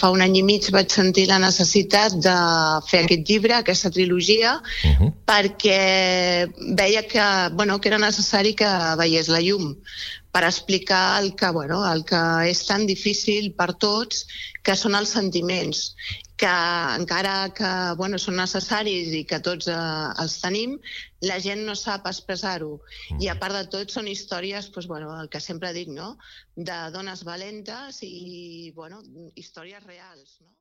fa un any i mig vaig sentir la necessitat de fer aquest llibre, aquesta trilogia, perquè veia que era necessari que veiés la llum per explicar el que és tan difícil per tots, que són els sentiments, que encara que són necessaris i que tots els tenim, la gent no sap expressar-ho. I a part de tot són històries, el que sempre dic, no? De dones valentes i històries reals, no?